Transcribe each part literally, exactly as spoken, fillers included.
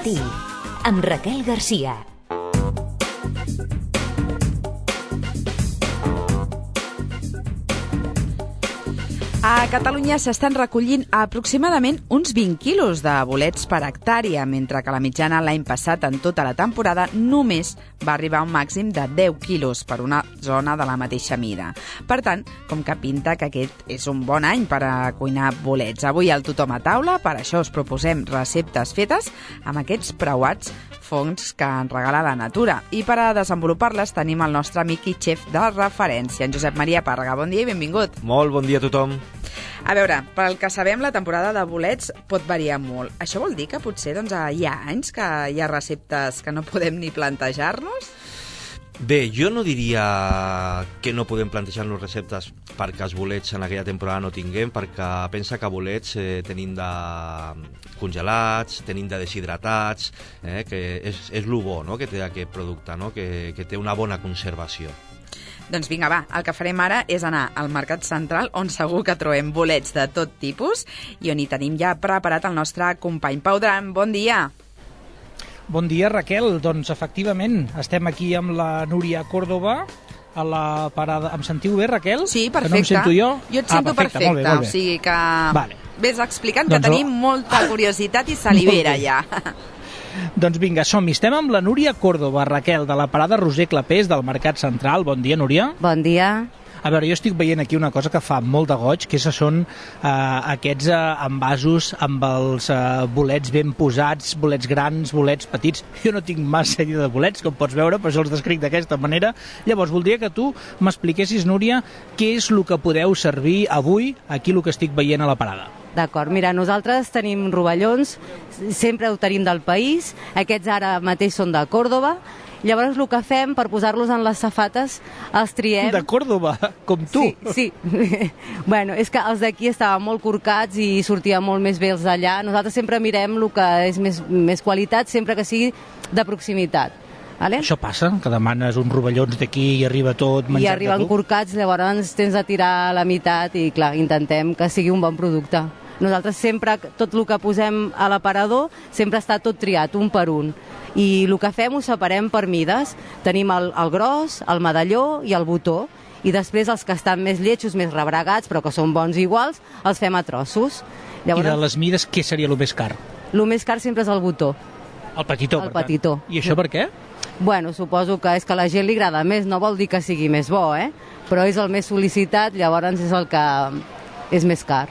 matí, amb Raquel Garcia. A Catalunya s'estan recollint aproximadament uns vint quilos de bolets per hectàrea, mentre que la mitjana l'any passat en tota la temporada només va arribar a un màxim de deu quilos per una zona de la mateixa mida. Per tant, com que pinta que aquest és un bon any per a cuinar bolets. Avui al Tothom a taula, per això us proposem receptes fetes amb aquests preuats fongs que ens regala la natura. I per a desenvolupar-les tenim el nostre amic i xef de referència, en Josep Maria Pàrrega. Bon dia i benvingut. Molt bon dia a tothom. A veure, pel que sabem, la temporada de bolets pot variar molt. Això vol dir que potser doncs, hi ha anys que hi ha receptes que no podem ni plantejar-nos? Bé, jo no diria que no podem plantejar-nos receptes perquè els bolets en aquella temporada no tinguem, perquè pensa que bolets eh, tenim de congelats, tenim de deshidratats, eh, que és, és el bo, no?, que té aquest producte, no?, que, que té una bona conservació. Doncs vinga, va, el que farem ara és anar al Mercat Central, on segur que trobem bolets de tot tipus i on hi tenim ja preparat el nostre company Pau Duran. Bon dia! Bon dia, Raquel. Doncs, efectivament, estem aquí amb la Núria Córdoba a la parada. Em sentiu bé, Raquel? Sí, perfecte. Que no em sento jo? Jo et sento ah, perfecte, perfecte, molt bé, molt bé. O sigui que vale. Ves explicant doncs que tenim oh. molta curiositat i salivera ja. Doncs vinga, som-hi. Estem amb la Núria Córdoba, Raquel, de la parada Roser Clapés del Mercat Central. Bon dia, Núria. Bon dia. A veure, jo estic veient aquí una cosa que fa molt de goig, que són eh, aquests eh, envasos amb els eh, bolets ben posats, bolets grans, bolets petits. Jo no tinc massa idea de bolets, com pots veure, però jo els descric d'aquesta manera. Llavors, voldria que tu m'expliquessis, Núria, què és el que podeu servir avui, aquí el que estic veient a la parada. D'acord, mira, nosaltres tenim rovellons, sempre ho tenim del país, aquests ara mateix són de Còrdoba. Llavors el que fem per posar-los en les safates els triem... De Còrdoba, com tu. Sí, sí. Bueno, és que els d'aquí estaven molt corcats i sortien molt més bé els d'allà. Nosaltres sempre mirem el que és més, més qualitat, sempre que sigui de proximitat. Vale? Això passa, que demanes uns rovellons d'aquí i arriba tot menjat de tu? I arriben corcats, llavors tens de tirar la meitat i clar, intentem que sigui un bon producte. Nosaltres sempre, tot el que posem a l'aparador, sempre està tot triat, un per un. I el que fem ho separem per mides. Tenim el, el gros, el medalló i el botó. I després els que estan més lletjos, més rebregats, però que són bons iguals, els fem a trossos. Llavors, i de les mides, què seria el més car? El més car sempre és el botó. El petitó, el per petitó. tant. I això per què? Bueno, suposo que és que a la gent li agrada més, no vol dir que sigui més bo, eh? Però és el més sol·licitat, llavors és el que és més car.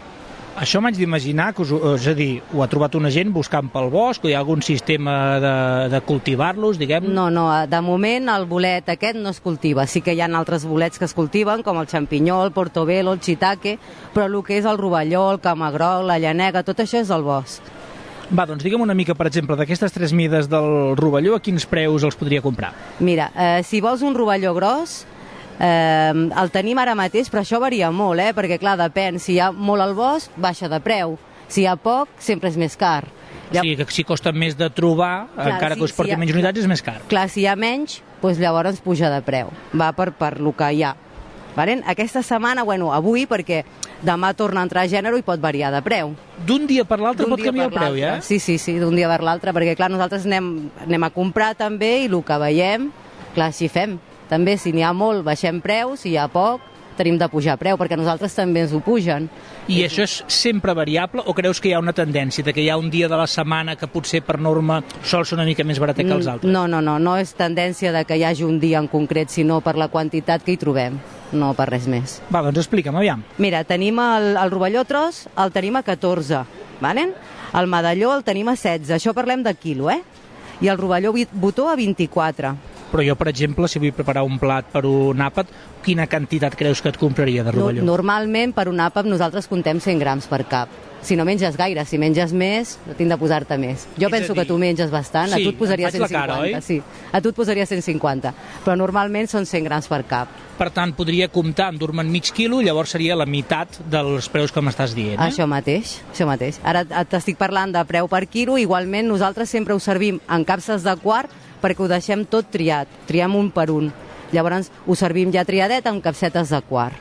Això m'haig d'imaginar, que us, és a dir, ho ha trobat una gent buscant pel bosc, o hi ha algun sistema de, de cultivar-los, diguem? No, no, de moment el bolet aquest no es cultiva. Sí que hi ha altres bolets que es cultiven, com el xampinyó, el portobello, el shiitake, però el que és el rovelló, el camagroc, la llanega, tot això és al bosc. Va, doncs digue'm una mica, per exemple, d'aquestes tres mides del rovelló, a quins preus els podria comprar? Mira, eh, si vols un rovelló gros, Eh, el tenim ara mateix, però això varia molt, eh? Perquè clar, depèn, si hi ha molt al bosc, baixa de preu, si hi ha poc, sempre és més car. O sigui que si costa més de trobar, clar, encara si, que us porti si ha, menys unitats, és més car. Clar, si hi ha menys, doncs llavors puja de preu, va per, per el que hi ha. Valen? Aquesta setmana, bueno, avui, perquè demà torna a entrar a gènere i pot variar de preu. D'un dia per l'altre pot canviar el preu, ja? Sí, sí, sí, d'un dia per l'altre, perquè clar, nosaltres anem, anem a comprar també i el que veiem, clar, així fem. També, si n'hi ha molt, baixem preu, si hi ha poc, tenim de pujar preu, perquè nosaltres també ens ho pugen. I això és sempre variable, o creus que hi ha una tendència, de que hi ha un dia de la setmana que potser per norma sol ser una mica més baratet que els altres? No, no, no, no és tendència de que hi hagi un dia en concret, sinó per la quantitat que hi trobem, no per res més. Va, doncs explica'm, aviam. Mira, tenim el, el rovelló tros, el tenim a catorze, valen? El medalló el tenim a setze, això parlem de quilo, eh? I el rovelló botó a vint-i-quatre. Però jo, per exemple, si vull preparar un plat per un àpat, quina quantitat creus que et compraria de rovelló? Normalment, per un àpat, nosaltres contem cent grams per cap. Si no menges gaire, si menges més, tinc de posar-te més. Jo és penso dir... que tu menges bastant, sí, a tu et posaria cent cinquanta. Cara, sí, a tu et posaria cent cinquanta, però normalment són cent grams per cap. Per tant, podria comptar, endur-me'n mig quilo, llavors seria la meitat dels preus que m'estàs dient, eh? Això mateix, això mateix. Ara t'estic parlant de preu per quilo, igualment nosaltres sempre ho servim en capses de quart perquè ho deixem tot triat, triem un per un. Llavors ho servim ja triadet amb capsetes de quart.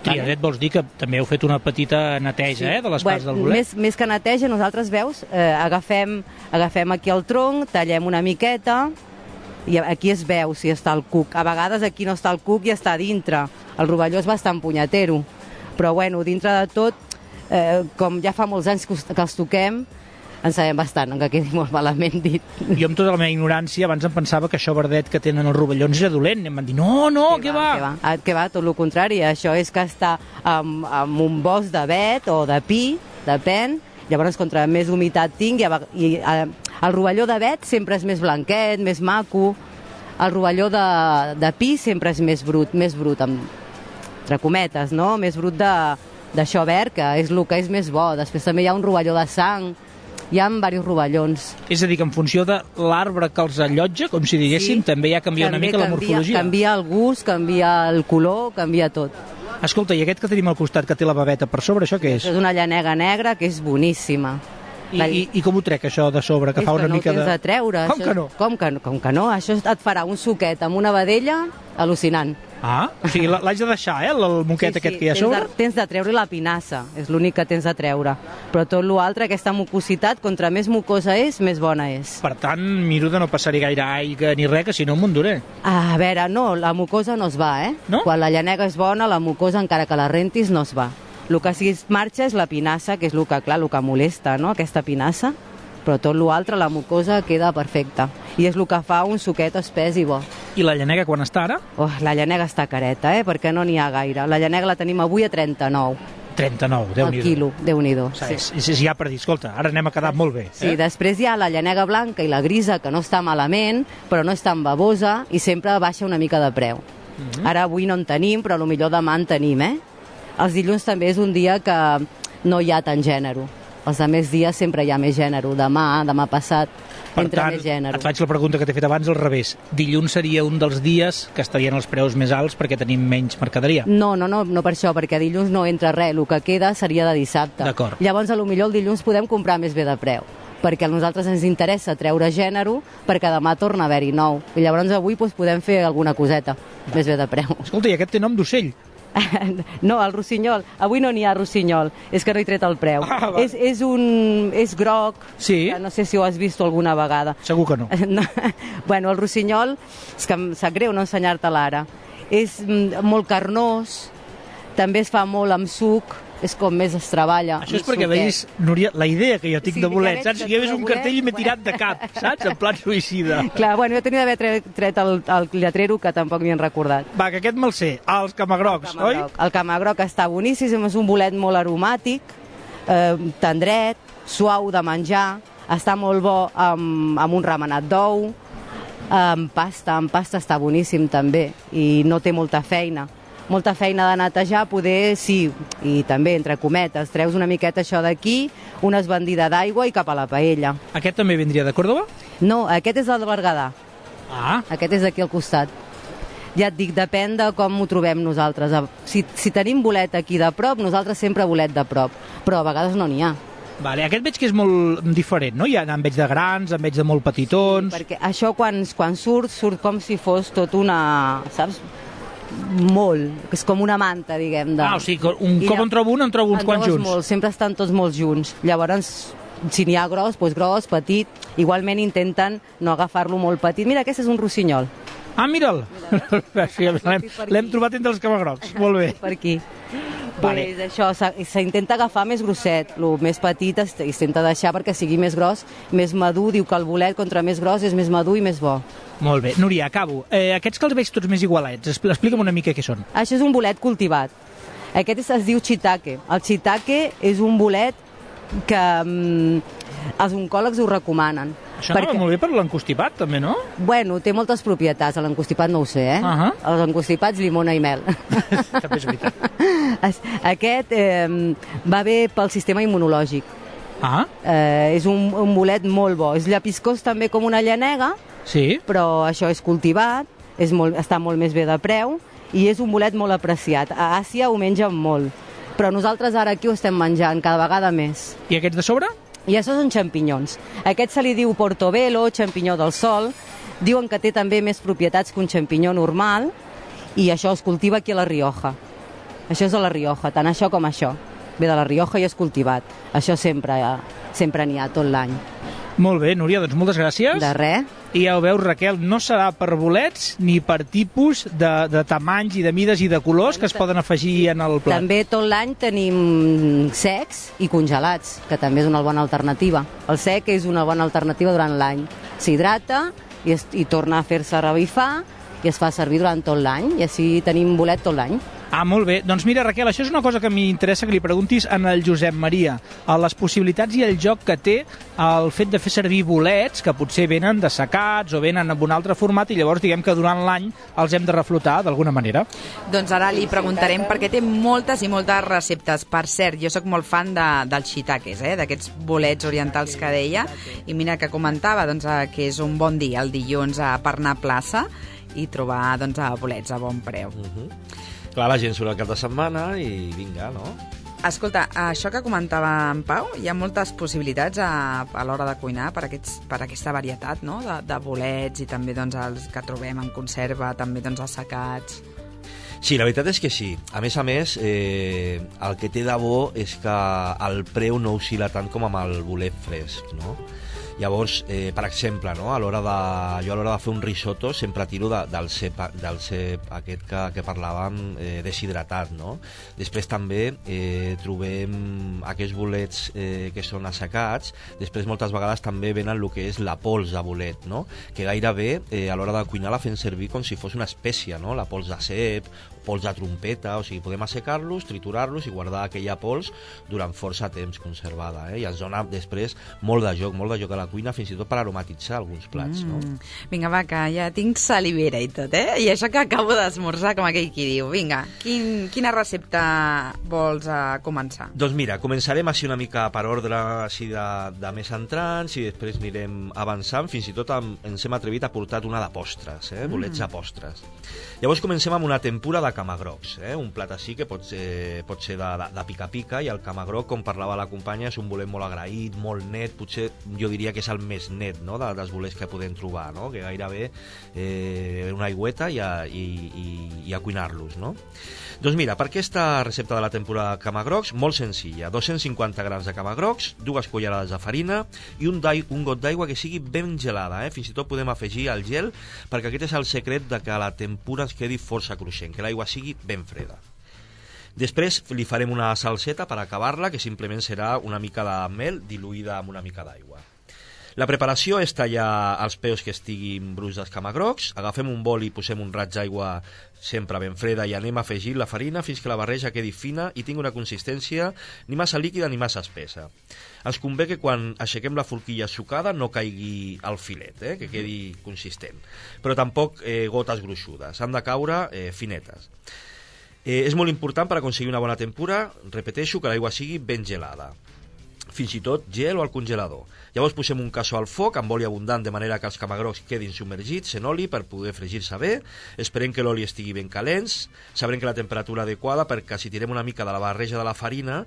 Triadet vols dir que també heu fet una petita neteja, sí. eh, de les bueno, parts del bolet? Més, més que neteja, nosaltres, veus, eh, agafem, agafem aquí el tronc, tallem una miqueta, i aquí es veu si està el cuc. A vegades aquí no està el cuc i està dintre. El rovelló és bastant punyetero. Però, bueno, dintre de tot, eh, com ja fa molts anys que els toquem, en sabem bastant, que quedi molt malament dit. Jo, amb tota la meva ignorància, abans em pensava que això verdet que tenen els rovellons era dolent. I em van dir, no, no, què va? Què va? Ah, què va? Tot el contrari. Això és que està amb, amb un bosc d'avet o de pi, depèn. Llavors, contra més humitat tingui, i eh, el rovelló d'avet sempre és més blanquet, més maco. El rovelló de, de pi sempre és més brut, més brut, amb, entre cometes, no? Més brut d'això verd, que és el que és més bo. Després també hi ha un rovelló de sang, hi ha diversos rovellons. És a dir, que en funció de l'arbre que els allotja, com si diguéssim, sí, també ja canvia una mica canvia, la morfologia. Canvia el gust, canvia el color, canvia tot. Escolta, i aquest que tenim al costat, que té la baveta per sobre, això què és? És una llanega negra que és boníssima. I, i, i com ho trec, això de sobre, que és fa una que no mica de... És que no ho tens de treure. Com això que no? És... Com que no? Com que no? Això et farà un suquet amb una vedella al·lucinant. Ah, o sigui, l'haig de deixar, eh, el moquet sí, sí, aquest que hi ha a sobre? Tens de, tens de treure la pinassa, és l'únic que tens de treure. Però tot l'altre, aquesta mucositat, contra més mucosa és, més bona és. Per tant, miro de no passar-hi gaire aigua ni res, que si no em m'enduré. A veure, no, la mucosa no es va, eh? No? Quan la llanega és bona, la mucosa, encara que la rentis, no es va. El que sí es marxa és la pinassa, que és el que, clar, el que molesta, no?, aquesta pinassa. Però tot l'altre, la mucosa, queda perfecta. I és el que fa un suquet espès i bo. I la llanega quan està ara? Oh, la llanega està careta, eh? Perquè no n'hi ha gaire. La llanega la tenim avui a trenta-nou. trenta-nou, Déu-n'hi-do. El quilo, Déu-n'hi-do. O sigui, Sí. és, és ja per dir, escolta, ara anem a quedar molt bé. Sí, eh? després hi ha la llanega blanca i la grisa, que no està malament, però no és tan babosa i sempre baixa una mica de preu. Mm-hmm. Ara avui no en tenim, però potser demà en tenim, eh? Els dilluns també és un dia que no hi ha tant gènere. Els altres dies sempre hi ha més gènere. Demà, demà passat, Per entra tant, més gènere. et faig la pregunta que t'he fet abans al revés. Dilluns seria un dels dies que estarien els preus més alts perquè tenim menys mercaderia. No, no, no, no per això, perquè dilluns no entra res. El que queda seria de dissabte. D'acord. Llavors, a lo millor el dilluns podem comprar més bé de preu, perquè a nosaltres ens interessa treure gènere perquè demà torna a haver-hi nou. I llavors avui doncs, podem fer alguna coseta Va. més bé de preu. Escolta, i aquest té nom d'ocell. No, el rossinyol. Avui no n'hi ha rossinyol, és que no he tret el preu. Ah, vale. és, és un... és groc, Sí. que no sé si ho has vist alguna vegada. Segur que no. No. Bueno, el rossinyol, és que em sap greu no ensenyar-te l'ara, és mm, molt carnós, també es fa molt amb suc, és com més es treballa. Això és amb perquè suquet. veus, Núria, la idea que jo tinc Sí, de ja bolets, veig saps? que Si hi hagués tu un de cartell i m'he bolets, tirat de cap, saps? En plan suïcida. Clar, bueno, jo tenia d'haver tret, tret el, el lletrero, que tampoc m'hi han recordat. Va, que aquest me'l sé. Ah, els camagrocs, oi? Camagroc. El camagroc està boníssim, és un bolet molt aromàtic, eh, tendret, suau de menjar, està molt bo amb, amb un remenat d'ou, amb pasta, amb pasta està boníssim també, i no té molta feina. Molta feina de netejar, poder sí, i també, entre cometes, treus una miqueta això d'aquí, una esbandida d'aigua i cap a la paella. Aquest també vindria de Còrdova? No, aquest és el de Berguedà, Ah, aquest és d'aquí al costat. Ja et dic, depèn de com ho trobem nosaltres. Si, si tenim bolet aquí de prop, nosaltres sempre bolet de prop, però a vegades no n'hi ha. vale. Aquest veig que és molt diferent, no? Ja en veig de grans, en veig de molt petitons... Perquè això quan, quan surt, surt com si fos tot una... saps? Molt, que és com una manta, diguem. De... Ah, o sigui, que un I cop lla- en trobo un, en trobo uns en quants trobes junts. Molt, sempre estan tots molt junts. Llavors, si n'hi ha gros, doncs gros, petit. Igualment intenten no agafar-lo molt petit. Mira, aquest és un rossinyol. Ah, mira'l! Sí, l'hem l'hem trobat entre els camagrocs. Molt bé. Per aquí. Vale. Pues això, s'ha- s'intenta agafar més grosset. El més petit es es intenta deixar perquè sigui més gros, més madur. Diu que el bolet, contra més gros, és més madur i més bo. Molt bé. Núria, acabo. Eh, aquests que els veig tots més igualets, expl- explica'm una mica què són. Això és un bolet cultivat. Aquest es, es diu shiitake. El shiitake és un bolet que mm, els oncòlegs ho recomanen. Això anava molt bé per l'encostipat, també, no? Bueno, té moltes propietats. L'encostipat no ho sé, eh? Ahà. Els encostipats, llimona i mel. També és veritat. Es- Aquest eh, va bé pel sistema immunològic. Ah, Eh, és un, un bolet molt bo. És llapiscós també com una llanega, sí. però això és cultivat, és molt, està molt més bé de preu i és un bolet molt apreciat. A Àsia ho mengen molt, però nosaltres ara aquí ho estem menjant cada vegada més. I aquests de sobre? I això són xampinyons. Aquest se li diu portobello, xampinyó del sol. Diuen que té també més propietats que un xampinyó normal i això es cultiva aquí a la Rioja. Això és de la Rioja, tant això com això. Ve de la Rioja i és cultivat. Això sempre, sempre n'hi ha tot l'any. Molt bé, Núria, doncs moltes gràcies. De res. I ja ho veus, Raquel, no serà per bolets ni per tipus de, de tamanys i de mides i de colors que es poden afegir en el plat. També tot l'any tenim secs i congelats, que també és una bona alternativa. El sec és una bona alternativa durant l'any. S'hidrata i, es, i torna a fer-se revifar i es fa servir durant tot l'any, i així tenim bolet tot l'any. Ah, molt bé. Doncs mira, Raquel, això és una cosa que m'interessa que li preguntis en el Josep Maria. A les possibilitats i el joc que té el fet de fer servir bolets que potser venen dessecats o venen en un altre format i llavors diguem que durant l'any els hem de reflotar d'alguna manera. Doncs ara li preguntarem perquè té moltes i moltes receptes. Per cert, jo sóc molt fan de, dels shiitakes, eh? D'aquests bolets orientals que deia. I mira que comentava doncs, que és un bon dia el dilluns a per anar a plaça i trobar doncs, bolets a bon preu. Uh-huh. Clar, la gent surt al cap de setmana i vinga, no? Escolta, això que comentava en Pau, hi ha moltes possibilitats a, a l'hora de cuinar per, aquests, per aquesta varietat, no? de, de bolets i també doncs, els que trobem en conserva, també doncs, assecats. Sí, la veritat és que sí. A més a més, eh, el que té de bo és que el preu no oscil·la tant com amb el bolet fresc, no? Llavors, eh, per exemple, no? a l'hora de, jo a l'hora de fer un risotto sempre tiro de, del, cep, del cep aquest que, que parlàvem eh, deshidratat, no? Després també eh, trobem aquests bolets eh, que són assecats, després moltes vegades també venen el que és la pols de bolet, no? Que gairebé eh, a l'hora de cuinar la fem servir com si fos una espècie, no? La pols de cep, pols de trompeta, o sigui, podem assecar-los, triturar-los i guardar aquella pols durant força temps conservada, eh? I ens dona després molt de joc, molt de joc a la cuina, fins i tot per aromatitzar alguns plats, mm. no? Vinga, va, que ja tinc salivera i tot, eh? I això que acabo d'esmorzar, com aquell qui diu. Vinga, quin, quina recepta vols uh, començar? Doncs mira, començarem així una mica per ordre així de, de més entrants i després anirem avançant, fins i tot amb, ens hem atrevit a portar una de postres, eh? Bolets mm. de postres. Llavors comencem amb una tempura de camagrocs, eh? Un plat així que pot ser, pot ser de, de, de pica-pica, i el camagroc, com parlava la companya, és un bolet molt agraït, molt net, potser jo diria que és el més net, no? de, dels bolets que podem trobar, no? Que gairebé eh, una aigüeta i a, i, i, i a cuinar-los, no? Doncs mira, per aquesta recepta de la tempura de camagrocs, molt senzilla, dos-cents cinquanta grams de camagrocs, dues cullerades de farina i un, un got d'aigua que sigui ben gelada, eh? Fins i tot podem afegir el gel, perquè aquest és el secret de que la tempura ens quedi força cruixent, que l'aigua sigui ben freda. Després li farem una salseta per acabar-la, que simplement serà una mica de mel diluïda amb una mica d'aigua. La preparació és tallar els peus que estiguin bruts dels camagrocs, agafem un bol i posem un raig d'aigua sempre ben freda i anem afegint la farina fins que la barreja quedi fina i tingui una consistència ni massa líquida ni massa espessa. Ens convé que quan aixequem la forquilla sucada no caigui al filet, eh? Que quedi consistent, però tampoc eh, gotes gruixudes, han de caure eh, finetes. Eh, és molt important per aconseguir una bona tempura, repeteixo, que l'aigua sigui ben gelada, fins i tot gel o al congelador. Llavors posem un casso al foc amb oli abundant de manera que els camagrocs quedin submergits en oli per poder fregir-se bé. Esperem que l'oli estigui ben calents, sabrem que la temperatura adequada, perquè si tirem una mica de la barreja de la farina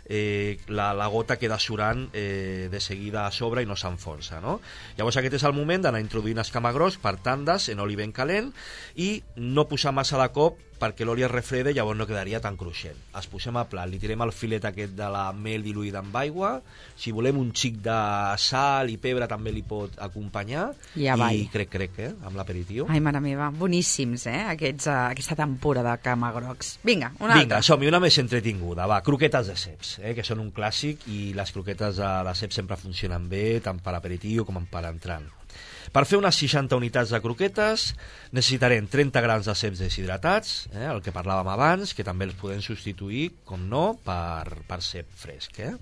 eh, la, la gota queda surant eh, de seguida a sobre i no s'enfonsa, no? Llavors aquest és el moment d'anar introduint els camagrocs per tandes en oli ben calent i no posar massa de cop perquè l'oli es refreda i llavors no quedaria tan cruixent. Els posem a plat, li tirem el filet aquest de la mel diluïda amb aigua, si volem un xic de sal i pebre també li pot acompanyar, ja i crec, crec, eh, amb l'aperitiu. Ai, mare meva, boníssims, eh, Aquests, uh, aquesta tempura de camagrocs. Vinga, una Vinga, altra. som-hi, una més entretinguda, va, croquetes de ceps, eh, que són un clàssic i les croquetes de, de ceps sempre funcionen bé, tant per aperitiu com per entrant. Per fer unes seixanta unitats de croquetes necessitarem trenta grams de ceps deshidratats, eh, el que parlàvem abans, que també els podem substituir, com no, per, per cep fresc. Eh?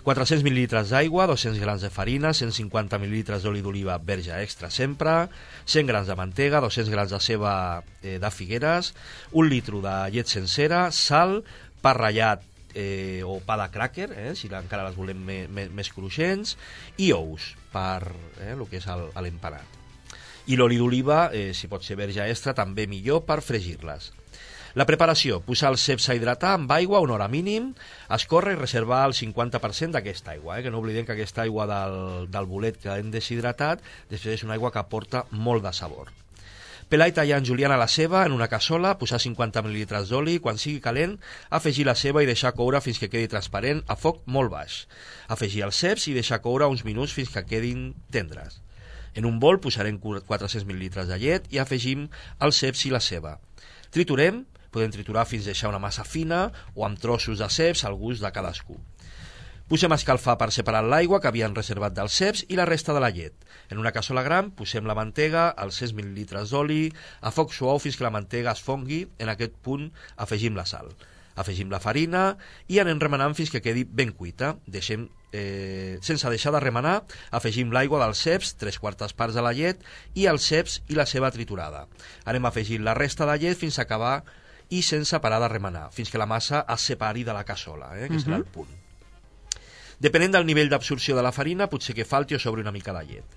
quatre-cents mil·lilitres d'aigua, dos-cents grams de farina, cent cinquanta mil·lilitres d'oli d'oliva verge extra sempre, cent grams de mantega, dos-cents grams de ceba eh, de Figueres, un litre de llet sencera, sal, pa ratllat eh, o pa de cràquer, eh, si encara les volem me, me, més cruixents, i ous per eh, el que és l'empanat. I l'oli d'oliva, eh, si pot ser verge extra, també millor per fregir-les. La preparació: posar els ceps a hidratar amb aigua una hora mínim, escórrer i reservar el cinquanta per cent d'aquesta aigua, eh? Que no oblidem que aquesta aigua del, del bolet que hem deshidratat després és una aigua que aporta molt de sabor. Pelar i tallar en juliana la ceba en una cassola, posar cinquanta mil·lilitres d'oli, quan sigui calent, afegir la ceba i deixar coure fins que quedi transparent a foc molt baix. Afegir els ceps i deixar coure uns minuts fins que quedin tendres. En un bol posarem quatre-cents mil·lilitres de llet i afegim els ceps i la ceba. Triturem, podem triturar fins deixar una massa fina o amb trossos de ceps al gust de cadascú. Posem a escalfar per separar l'aigua que havien reservat dels ceps i la resta de la llet. En una cassola gran posem la mantega, els cent mil·lilitres d'oli, a foc suau fins que la mantega es fongui, en aquest punt afegim la sal. Afegim la farina i anem remenant fins que quedi ben cuita. Deixem, eh, sense deixar de remenar, afegim l'aigua dels ceps, tres quartes parts de la llet i els ceps i la ceba triturada. Anem afegint la resta de llet fins a acabar i sense parar de remenar, fins que la massa es separi de la cassola, eh, que serà el punt. Depenent del nivell d'absorció de la farina, potser que falti o sobri una mica de llet.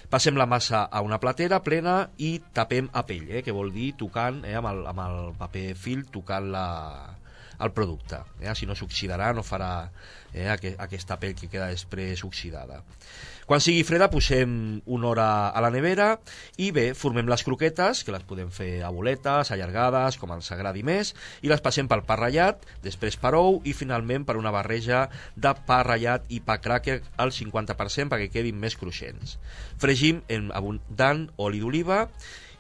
Passem la massa a una platera plena i tapem a pell, eh, que vol dir tocant eh, amb, el, amb el paper fil, tocant la, el producte. Eh, si no s'oxidarà, no farà eh, aquest, aquesta pell que queda després oxidada. Quan sigui freda posem una hora a la nevera i bé, formem les croquetes, que les podem fer a boletes, allargades, com ens agradi més, i les passem pel pa ratllat, després per ou i finalment per una barreja de pa ratllat i pa cracker al cinquanta per cent perquè quedin més cruixents. Fregim en abundant oli d'oliva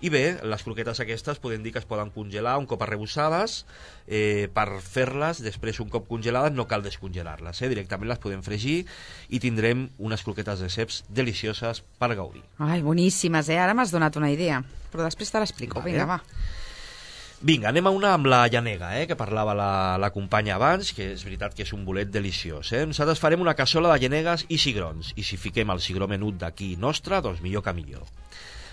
i bé, les croquetes aquestes podem dir que es poden congelar un cop arrebossades, eh, per fer-les després un cop congelades no cal descongelar-les, eh? Directament les podem fregir i tindrem unes croquetes de ceps delicioses per gaudir. Ai, boníssimes, eh? Ara m'has donat una idea, però després te l'explico. Vale. Vinga, va. Vinga, anem a una amb la llanega, eh, que parlava la, la companya abans, que és veritat que és un bolet deliciós. Eh? Nosaltres farem una cassola de llanegues i cigrons, i si fiquem el cigró menut d'aquí nostre, doncs millor que millor.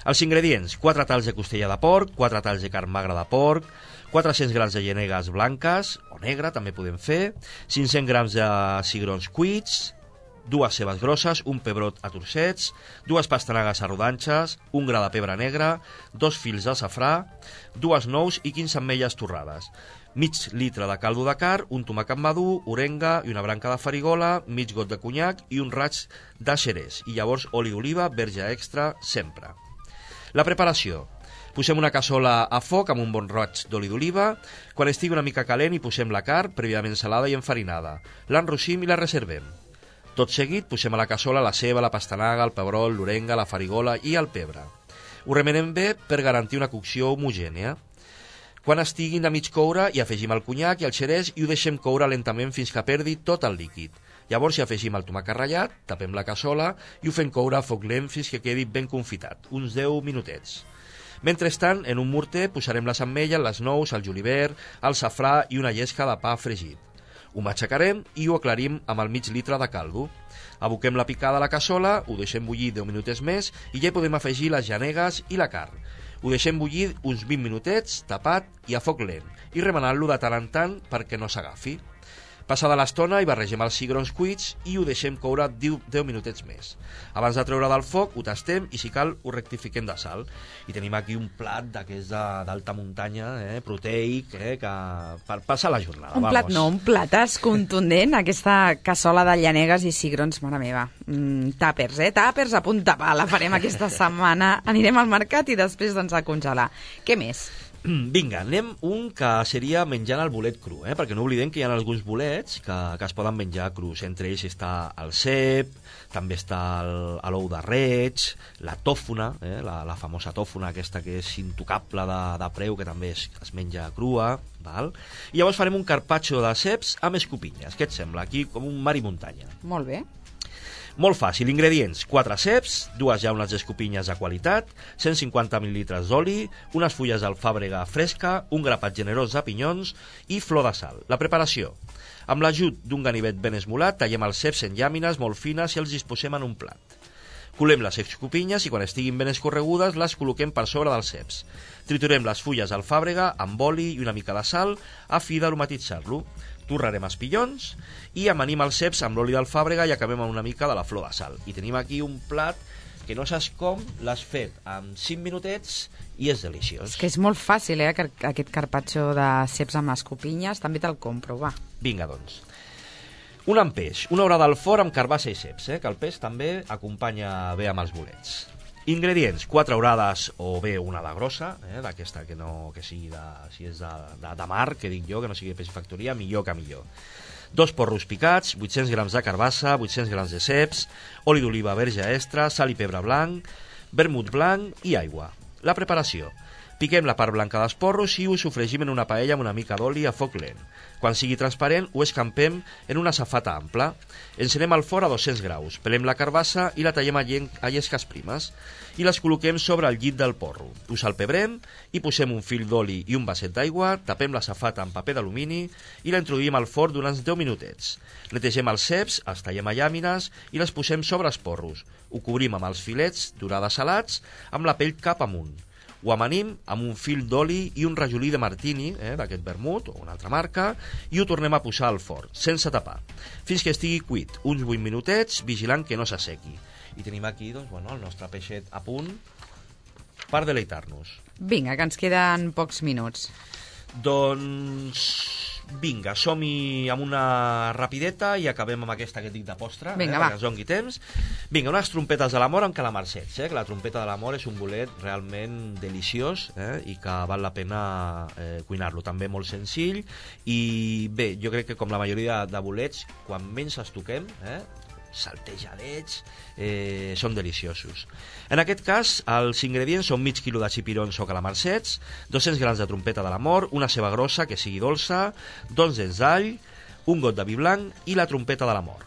Els ingredients: quatre talls de costella de porc, quatre talls de carn magra de porc, quatre-cents grams de llanegues blanques, o negra també podem fer, cinc-cents grams de cigrons cuits, dues cebes grosses, un pebrot a trossets, dues pastanagues a rodanxes, un gra de pebre negre, dos fils de safrà, dues nous i quinze ametlles torrades, mig litre de caldo de carn, un tomàquet madur, orenga i una branca de farigola, mig got de conyac i un raig de xerès, i llavors oli d'oliva, verge extra, sempre. La preparació: posem una cassola a foc amb un bon roig d'oli d'oliva. Quan estigui una mica calent hi posem la carn, prèviament salada i enfarinada. L'enrossim i la reservem. Tot seguit posem a la cassola la ceba, la pastanaga, el pebrot, l'orenga, la farigola i el pebre. Ho remenem bé per garantir una cocció homogènia. Quan estiguin de mig coure hi afegim el conyac i el xerès i ho deixem coure lentament fins que perdi tot el líquid. Llavors hi afegim el tomàquet ratllat, tapem la cassola i ho fem coure a foc lent fins que quedi ben confitat, uns deu minutets. Mentrestant, en un morter posarem les ametlles, les nous, el julivert, el safrà i una llesca de pa fregit. Ho matxacarem i ho aclarim amb el mig litre de caldo. Aboquem la picada a la cassola, ho deixem bullir deu minutets més i ja hi podem afegir les llanegues i la carn. Ho deixem bullir uns vint minutets, tapat i a foc lent, i remenant-lo de tant en tant perquè no s'agafi. Passada l'estona hi barregem els cigrons cuits i ho deixem coure deu minutets més. Abans de treure del foc ho tastem i si cal ho rectifiquem de sal. I tenim aquí un plat d'aquests d'alta muntanya, eh, proteic, eh, que per passar la jornada. Un vamos. plat no, un platàs contundent, aquesta cassola de llanegues i cigrons, mare meva. Mm, tàpers, eh? Tàpers a punta pala farem aquesta setmana. Anirem al mercat i després doncs a congelar. Què més? Vinga, anem un que seria menjant el bolet cru, eh? Perquè no oblidem que hi ha alguns bolets que, que es poden menjar crus. Entre ells està el cep, també està l'ou de reig, la tòfona, eh? la, la famosa tòfona aquesta que és intocable de, de preu, que també es, es menja crua, val? I llavors farem un carpaccio de ceps amb escopinyes. Què et sembla? Aquí com un mar i muntanya. Molt bé. Molt fàcil, ingredients: quatre ceps, dues llaunes d'escopinyes de qualitat, cent cinquanta mil·lilitres d'oli, unes fulles d'alfàbrega fresca, un grapat generós de pinyons i flor de sal. La preparació: amb l'ajut d'un ganivet ben esmolat, tallem els ceps en llàmines molt fines i els disposem en un plat. Colem les escopinyes i quan estiguin ben escorregudes les col·loquem per sobre dels ceps. Triturem les fulles d'alfàbrega amb oli i una mica de sal a fi d'aromatitzar-lo. Torrarem els pinyons i amanim els ceps amb l'oli d'alfàbrega i acabem amb una mica de la flor de sal. I tenim aquí un plat que no saps com, l'has fet en cinc minutets i és deliciós. És que és molt fàcil, eh, aquest carpaccio de ceps amb escopinyes. També te'l compro, va. Vinga, doncs. Un amb peix, una horada al forn amb carbassa i ceps, eh, que el peix també acompanya bé amb els bolets. Ingredients, quatre orades o bé una de grossa, eh, d'aquesta que no que sigui de, si és de, de, de mar, que dic jo, que no sigui de peix factoria, millor que millor. Dos porros picats, vuit-cents grams de carbassa, vuit-cents grams de ceps, oli d'oliva verge extra, sal i pebre blanc, vermut blanc i aigua. La preparació. Piquem la part blanca dels porros i ho sofregim en una paella amb una mica d'oli a foc lent. Quan sigui transparent, ho escampem en una safata ampla. Encenem el forn a dos-cents graus, pelem la carbassa i la tallem a llesques primes i les col·loquem sobre el llit del porro. Ho salpebrem i posem un fil d'oli i un vasset d'aigua, tapem la safata amb paper d'alumini i la introduïm al forn durant deu minutets. Netegem els ceps, els tallem a llàmines i les posem sobre els porros. Ho cobrim amb els filets d'orada salats amb la pell cap amunt. Ho amanim amb un fil d'oli i un rajolí de martini, eh, d'aquest vermut o una altra marca, i ho tornem a posar al forn, sense tapar, fins que estigui cuit, uns vuit minutets, vigilant que no s'assequi. I tenim aquí doncs, bueno, el nostre peixet a punt per deleitar-nos. Vinga, que ens queden pocs minuts. Doncs vinga, som-hi amb una rapideta i acabem amb aquesta que et dic de postre, vinga, eh, va. perquè ens doni temps. Vinga, unes trompetes de l'amor amb calamarsets, eh, que la trompeta de l'amor és un bolet realment deliciós, eh, i que val la pena eh, cuinar-lo, també molt senzill, i bé, jo crec que com la majoria de bolets, quan menys els toquem, eh, saltejadets, eh, són deliciosos. En aquest cas, els ingredients són mig quilo de xipirons o calamarsets, dos-cents grams de trompeta de l'amor, una ceba grossa que sigui dolça, dos dents d'all, un got de vi blanc i la trompeta de l'amor.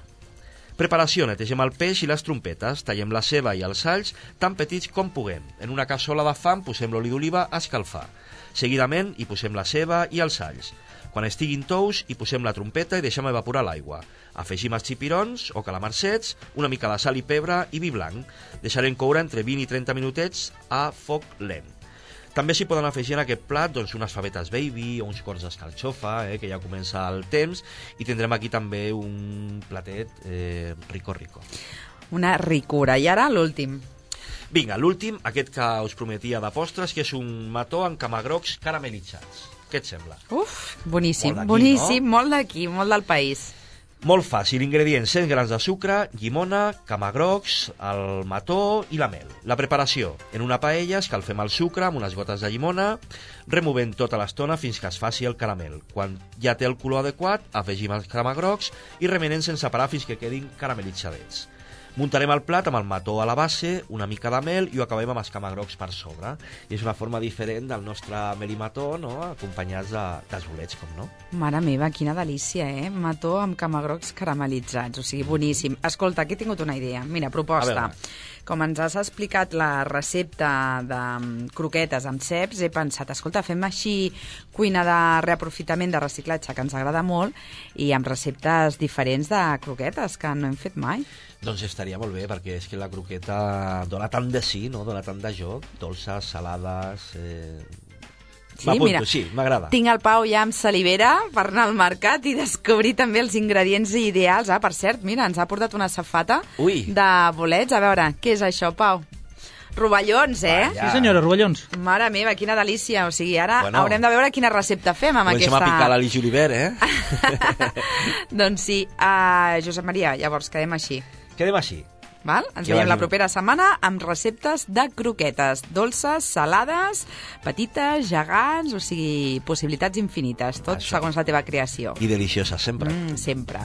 Preparació: netegem el peix i les trompetes, tallem la ceba i els alls tan petits com puguem. En una cassola de fang posem l'oli d'oliva a escalfar. Seguidament hi posem la ceba i els alls. Quan estiguin tous, hi posem la trompeta i deixem evaporar l'aigua. Afegim els xipirons o calamarsets, una mica de sal i pebre i vi blanc. Deixarem coure entre vint i trenta minutets a foc lent. També s'hi poden afegir en aquest plat doncs, unes favetes baby o uns cors d'escarxofa, eh, que ja comença el temps, i tindrem aquí també un platet eh, rico rico. Una ricura. I ara l'últim. Vinga, l'últim, aquest que us prometia de postres, que és un mató amb camagrocs caramelitzats. Què et sembla? Uf, boníssim, Molt d'aquí, boníssim, no? molt d'aquí, molt del país. Molt fàcil, ingredients: cent grams de sucre, llimona, camagrocs, el mató i la mel. La preparació: en una paella escalfem el sucre amb unes gotes de llimona, removent tota l'estona fins que es faci el caramel. Quan ja té el color adequat, afegim els camagrocs i remenem sense parar fins que quedin caramelitzadets. Muntarem el plat amb el mató a la base, una mica de mel i ho acabem amb els camagrocs per sobre. I és una forma diferent del nostre mel i mató, no?, acompanyats de, dels bolets, com no? Mare meva, quina delícia, eh? Mató amb camagrocs caramelitzats, o sigui, boníssim. Escolta, aquí he tingut una idea. Mira, proposta. Com ens has explicat la recepta de croquetes amb ceps, he pensat, escolta, fem així cuina de reaprofitament, de reciclatge, que ens agrada molt, i amb receptes diferents de croquetes, que no hem fet mai. Doncs estaria molt bé, perquè és que la croqueta dona tant de sí, no?, dona tant de joc, dolces, salades... Eh... Sí, mira, sí, m'agrada. Tinc el Pau ja amb salivera per anar al mercat i descobrir també els ingredients ideals. Ah, per cert, mira, ens ha portat una safata Ui. de bolets. A veure, què és això, Pau? Rovellons, eh? Vaya. Sí, senyora, rovellons. Mare meva, quina delícia. O sigui, ara Bueno, haurem de veure quina recepta fem amb Comencem aquesta... a picar l'Ali Julivert, eh? Doncs sí. Uh, Josep Maria, llavors quedem així. Quedem així. Val? Ens Que veiem vagi la bé. propera setmana amb receptes de croquetes, dolces, salades, petites, gegants, o sigui, possibilitats infinites, tot Això. segons la teva creació. I delicioses, sempre. Mm, sempre.